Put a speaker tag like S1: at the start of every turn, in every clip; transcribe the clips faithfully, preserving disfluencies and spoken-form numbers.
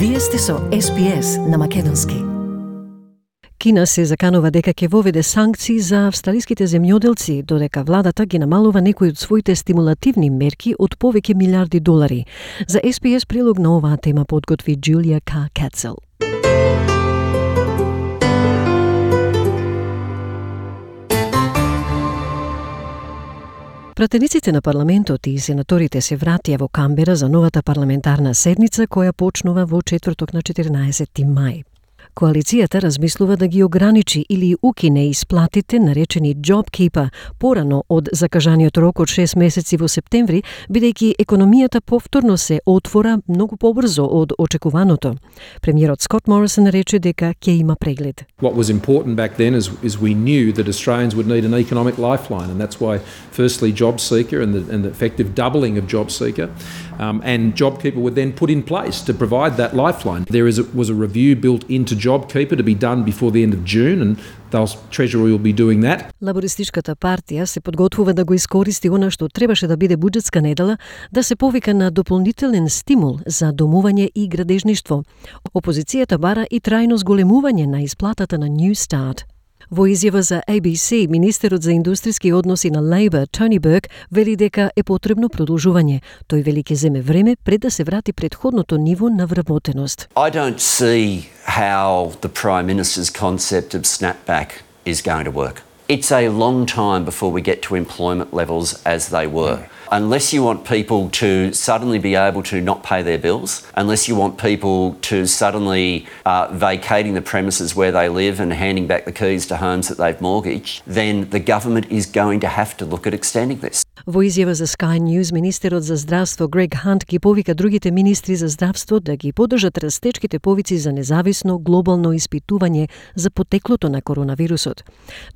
S1: Вие сте со Ес Би Ес на македонски.
S2: Кина се заканува дека ќе воведе санкции за австралиските земјоделци, додека владата ги намалува некои од своите стимулативни мерки од повеќе милиарди долари. За Ес Би Ес прилог на оваа тема подготви Джулија Ка Кацел. Пратениците на парламентот и сенаторите се вратија во Камбера за новата парламентарна седница која почнува во четврток на четирнаесетти мај. Коалицијата размислува да ги ограничи или укине исплатите наречени JobKeeper порано од закажаниот рок од шест месеци во септември, бидејќи економијата повторно се отвора многу побрзо од очекуваното. Премиерот Скот Морисон рече дека ќе има преглед.
S3: What was important back then is, is we knew that Australians would need an economic lifeline, and that's why firstly JobSeeker and the, and the effective doubling of JobSeeker um, and JobKeeper were then put in place to provide that lifeline. There is a, was a review built into JobKeeper to be done before the end of June, and the Treasury will be doing that.
S2: Лабористичката партија се подготвува да го искористи она што требаше да биде буџетска недела, да се повика на дополнителен стимул за домување и градежништво. Опозицијата бара и трајно зголемување на исплатата на New Start. Во изјава за А Би Си, министерот за индустријски односи на Лейбор, Тони Бурк, вели дека е потребно продолжување. Тој вели ќе земе време пред да се врати претходното ниво на вработеност.
S4: I don't see how the Prime Minister's concept of snapback is going to work. It's a long time before we get to employment levels as they were. Unless you want people to suddenly be able to not pay their bills, unless you want people to suddenly uh, vacating the premises where they live and handing back the keys to homes that they've mortgaged, then the government is going to have to look at extending this.
S2: Во изјава за Sky News, министерот за здравство Грег Хант ги повика другите министри за здравство да ги поддржат растечките повици за независно глобално испитување за потеклото на коронавирусот.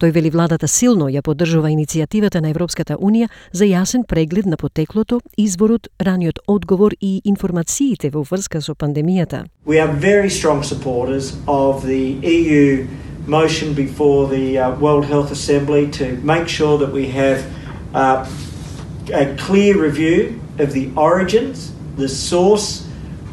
S2: Тој вели владата силно ја поддржува иницијативата на Европската унија за јасен преглед на потеклото, изворот, раниот одговор и информациите во врска со пандемијата.
S5: We are very strong supporters of the E U motion before the uh, World Health Assembly to make sure that we have uh, a clear review of the origins, the source,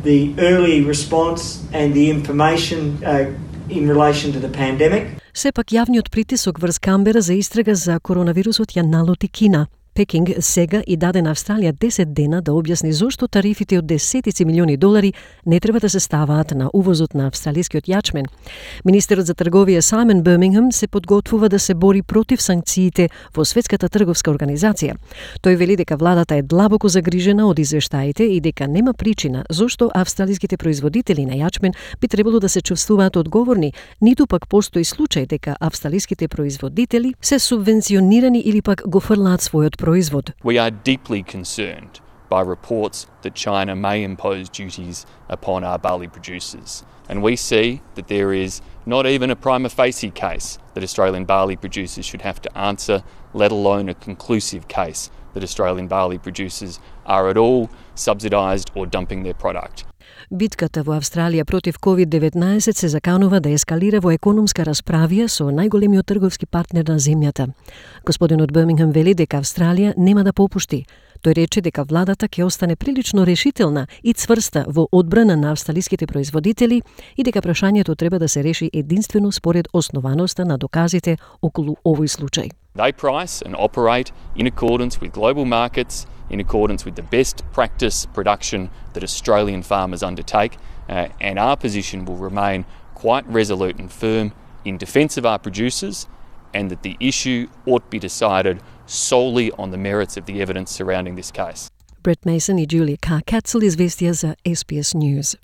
S5: the early response and the information uh, in relation to the pandemic.
S2: Сепак јавниот притисок врз Камбера за истрага за коронавирусот ја налоти Кина. Пекинг сега и даде на Австралија десет дена да објасни зошто тарифите од десетици милиони долари не треба да се ставаат на увозот на австралискиот јачмен. Министерот за трговија Сајмон Бирмингем се подготвува да се бори против санкциите во Светската трговска организација. Тој вели дека владата е длабоко загрижена од извештаите и дека нема причина зошто австралиските производители на јачмен би требало да се чувствуваат одговорни, ниту пак постои случај дека австралиските производители се субвенционирани или пак го фрлаат својот производ.
S6: We are deeply concerned by reports that China may impose duties upon our barley producers. And we see that there is not even a prima facie case that Australian barley producers should have to answer, let alone a conclusive case that Australian barley producers are at all subsidised or dumping their product.
S2: Битката во Австралија против ковид деветнаесет се заканува да ескалира во економска расправија со најголемиот трговски партнер на земјата. Господинот Бирмингем вели дека Австралија нема да попушти. Тој рече дека владата ќе остане прилично решителна и цврста во одбрана на австралиските производители и дека прашањето треба да се реши единствено според основаноста на доказите околу овој случај.
S6: They price and operate in accordance with global markets, in accordance with the best practice production that Australian farmers undertake, uh, and our position will remain quite resolute and firm in defence of our producers, and that the issue ought be decided solely on the merits of the evidence surrounding this case.
S2: Brett Mason и Джулија Ка Кацел, известија за Ес Би Ес News.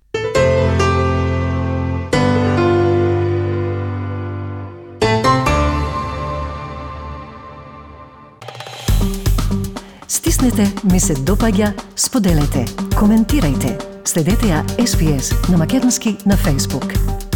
S1: Стиснете, ми се допаѓа, споделете, коментирајте. Следете ја Ес Би Ес на македонски на Facebook.